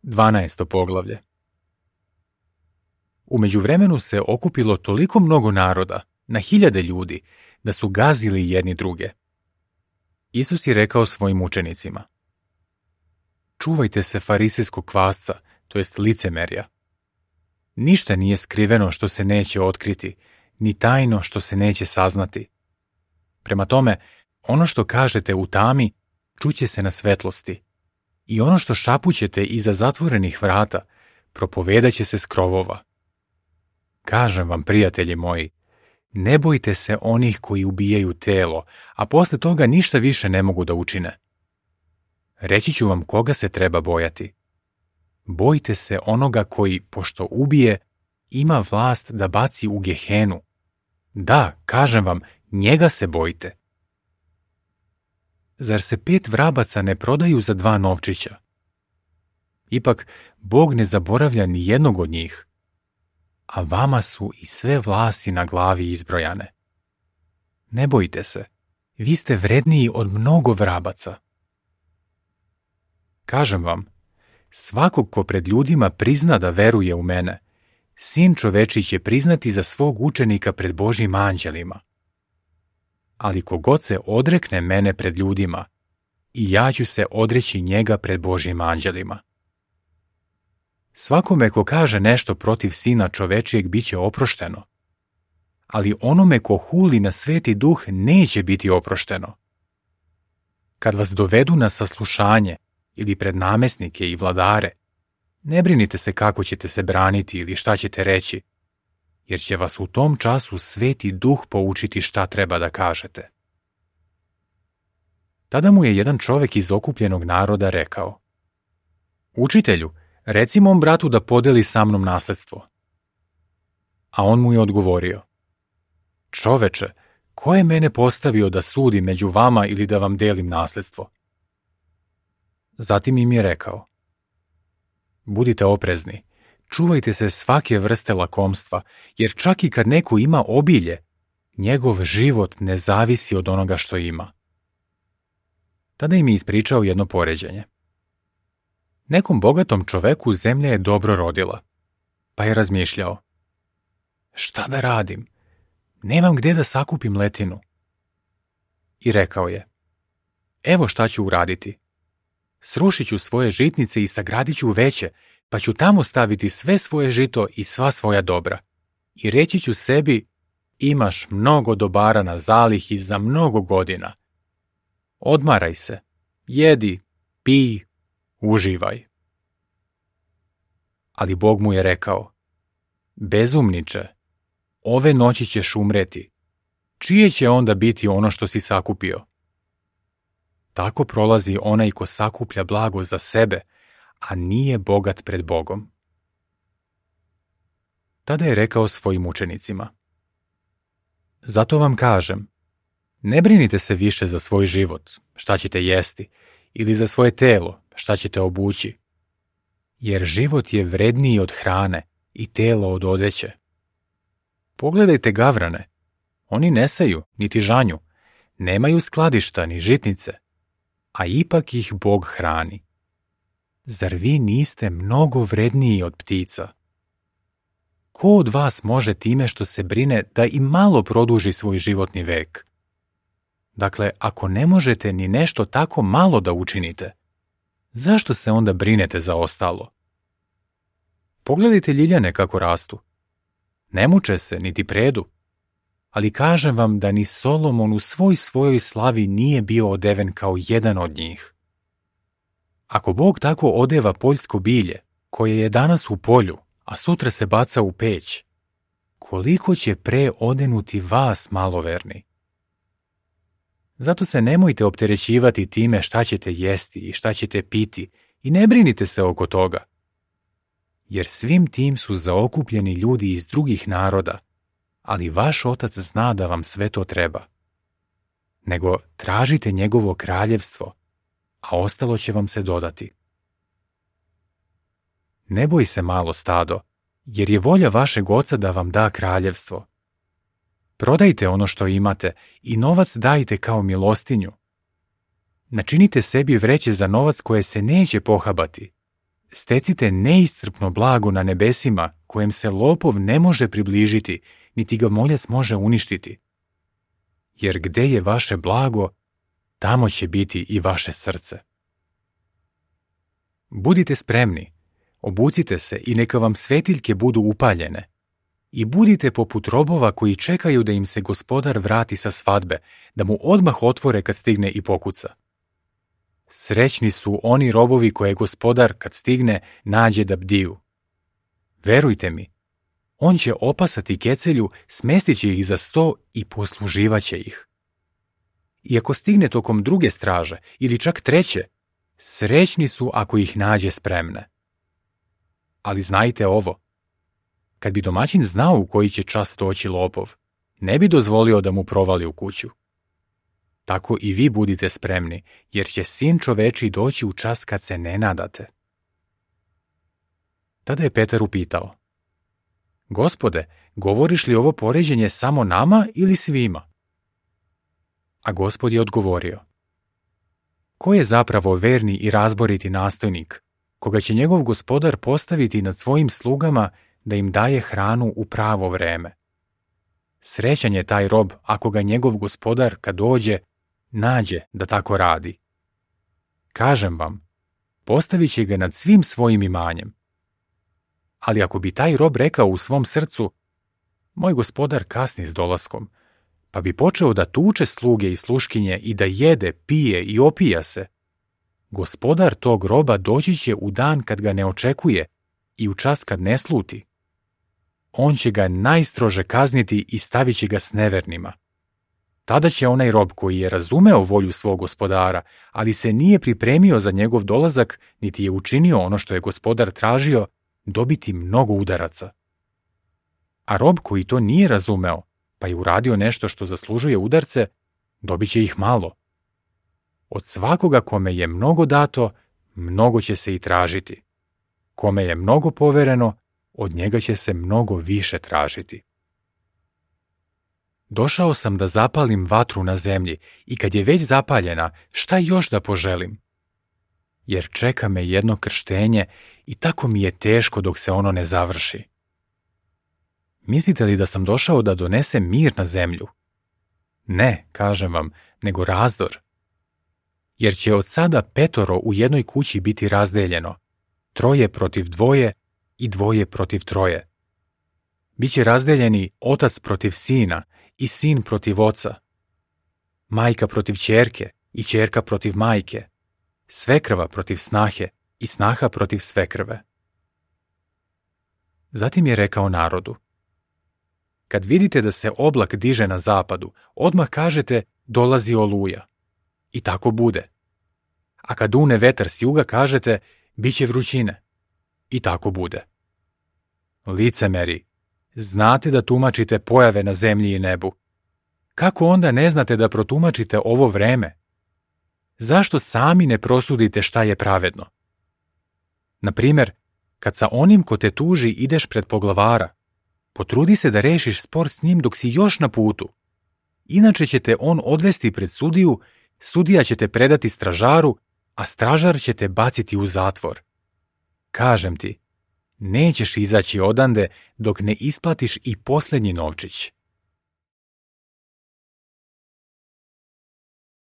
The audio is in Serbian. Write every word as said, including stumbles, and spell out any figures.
Dvanaesto poglavlje. U međuvremenu se okupilo toliko mnogo naroda, na hiljade ljudi, da su gazili jedni druge. Isus je rekao svojim učenicima: čuvajte se farisejskog kvasca, to jest licemerja. Ništa nije skriveno što se neće otkriti, ni tajno što se neće saznati. Prema tome, ono što kažete u tami, čuće se na svetlosti, i ono što šapućete iza zatvorenih vrata, propovedaće se s krovova. Kažem vam, prijatelji moji, ne bojte se onih koji ubijaju telo, a posle toga ništa više ne mogu da učine. Reći ću vam koga se treba bojati. Bojte se onoga koji, pošto ubije, ima vlast da baci u Gehenu. Da, kažem vam, njega se bojte. Zar se pet vrabaca ne prodaju za dva novčića? Ipak, Bog ne zaboravlja ni jednog od njih, a vama su i sve vlasti na glavi izbrojane. Ne bojte se, vi ste vredniji od mnogo vrabaca. Kažem vam, svakog ko pred ljudima prizna da veruje u mene, Sin čovečiji će priznati za svog učenika pred Božjim anđelima. Ali kogod se odrekne mene pred ljudima, i ja ću se odreći njega pred Božjim anđelima. Svakome ko kaže nešto protiv Sina čovečijeg bit će oprošteno, ali onome ko huli na Sveti Duh neće biti oprošteno. Kad vas dovedu na saslušanje ili pred namesnike i vladare, ne brinite se kako ćete se braniti ili šta ćete reći, jer će vas u tom času Sveti Duh poučiti šta treba da kažete. Tada mu je jedan čovek iz okupljenog naroda rekao: Učitelju, reci mom bratu da podeli sa mnom nasledstvo. A on mu je odgovorio: Čoveče, ko je mene postavio da sudim među vama ili da vam delim nasledstvo? Zatim im je rekao: Budite oprezni, čuvajte se svake vrste lakomstva, jer čak i kad neko ima obilje, njegov život ne zavisi od onoga što ima. Tada im je ispričao jedno poređenje. Nekom bogatom čoveku zemlja je dobro rodila, pa je razmišljao: šta da radim? Nemam gde da sakupim letinu. I rekao je: evo šta ću uraditi. Srušit ću svoje žitnice i sagradit ću veće, pa ću tamo staviti sve svoje žito i sva svoja dobra. I reći ću sebi: imaš mnogo dobara na zalihi za mnogo godina. Odmaraj se, jedi, pij, uživaj. Ali Bog mu je rekao: bezumniče, ove noći ćeš umreti. Čije će onda biti ono što si sakupio? Tako prolazi onaj ko sakuplja blago za sebe, a nije bogat pred Bogom. Tada je rekao svojim učenicima: zato vam kažem, ne brinite se više za svoj život, šta ćete jesti, ili za svoje telo, šta ćete obući, jer život je vredniji od hrane i telo od odeće. Pogledajte gavrane, oni ne seju, niti žanju, nemaju skladišta ni žitnice, a ipak ih Bog hrani. Zar vi niste mnogo vredniji od ptica? Ko od vas može time što se brine da i malo produži svoj životni vek? Dakle, ako ne možete ni nešto tako malo da učinite, zašto se onda brinete za ostalo? Pogledajte ljiljane kako rastu. Ne muče se, niti predu. Ali kažem vam da ni Solomon u svoj svojoj slavi nije bio odeven kao jedan od njih. Ako Bog tako odeva poljsko bilje, koje je danas u polju, a sutra se baca u peć, koliko će pre odenuti vas, maloverni? Zato se nemojte opterećivati time šta ćete jesti i šta ćete piti i ne brinite se oko toga. Jer svim tim su zaokupljeni ljudi iz drugih naroda, ali vaš Otac zna da vam sve to treba. Nego tražite njegovo kraljevstvo, a ostalo će vam se dodati. Ne boj se, malo stado, jer je volja vašeg Oca da vam da kraljevstvo. Prodajte ono što imate i novac dajte kao milostinju. Načinite sebi vreće za novac koje se neće pohabati, Stecite neiscrpno blago na nebesima, kojem se lopov ne može približiti, niti ga moljac može uništiti. Jer gde je vaše blago, tamo će biti i vaše srce. Budite spremni, obucite se i neka vam svetiljke budu upaljene. I budite poput robova koji čekaju da im se gospodar vrati sa svadbe, da mu odmah otvore kad stigne i pokuca. Srećni su oni robovi koje gospodar, kad stigne, nađe da bdiju. Verujte mi, on će opasati kecelju, smestit će ih za sto i posluživaće ih. I ako stigne tokom druge straže ili čak treće, srećni su ako ih nađe spremne. Ali znajte ovo, kad bi domaćin znao u koji će čas doći lopov, ne bi dozvolio da mu provali u kuću. Tako i vi budite spremni, jer će Sin čovečiji doći u čas kad se ne nadate. Tada je Petar upitao: Gospode, govoriš li ovo poređenje samo nama ili svima? A Gospod je odgovorio: Ko je zapravo verni i razboriti nastojnik, koga će njegov gospodar postaviti nad svojim slugama da im daje hranu u pravo vreme? Srećan je taj rob ako ga njegov gospodar, kad dođe, nađe da tako radi. Kažem vam, postavit će ga nad svim svojim imanjem. Ali ako bi taj rob rekao u svom srcu: Moj gospodar kasni s dolaskom, pa bi počeo da tuče sluge i sluškinje i da jede, pije i opija se, gospodar tog roba doći će u dan kad ga ne očekuje i u čas kad ne sluti. On će ga najstrože kazniti i stavit će ga s nevernima. Tada će onaj rob koji je razumeo volju svog gospodara, ali se nije pripremio za njegov dolazak, niti je učinio ono što je gospodar tražio, dobiti mnogo udaraca. A rob koji to nije razumeo, pa je uradio nešto što zaslužuje udarce, dobit će ih malo. Od svakoga kome je mnogo dato, mnogo će se i tražiti. Kome je mnogo povereno, od njega će se mnogo više tražiti. Došao sam da zapalim vatru na zemlji i kad je već zapaljena, šta još da poželim? Jer čeka me jedno krštenje i tako mi je teško dok se ono ne završi. Mislite li da sam došao da donesem mir na zemlju? Ne, kažem vam, nego razdor. Jer će od sada petoro u jednoj kući biti razdeljeno, troje protiv dvoje i dvoje protiv troje. Biće razdeljeni otac protiv sina i sin protiv oca, majka protiv ćerke i ćerka protiv majke, svekrva protiv snahe i snaha protiv svekrve. Zatim je rekao narodu: Kad vidite da se oblak diže na zapadu, odmah kažete: dolazi oluja. I tako bude. A kad dune vetar s juga, kažete: biće vrućine. I tako bude. Licemeri, znate da tumačite pojave na zemlji i nebu. Kako onda ne znate da protumačite ovo vreme? Zašto sami ne prosudite šta je pravedno? Na primjer, kad sa onim ko te tuži ideš pred poglavara, potrudi se da rešiš spor s njim dok si još na putu. Inače će te on odvesti pred sudiju, sudija će te predati stražaru, a stražar će te baciti u zatvor. Kažem ti, nećeš izaći odande dok ne isplatiš i posljednji novčić.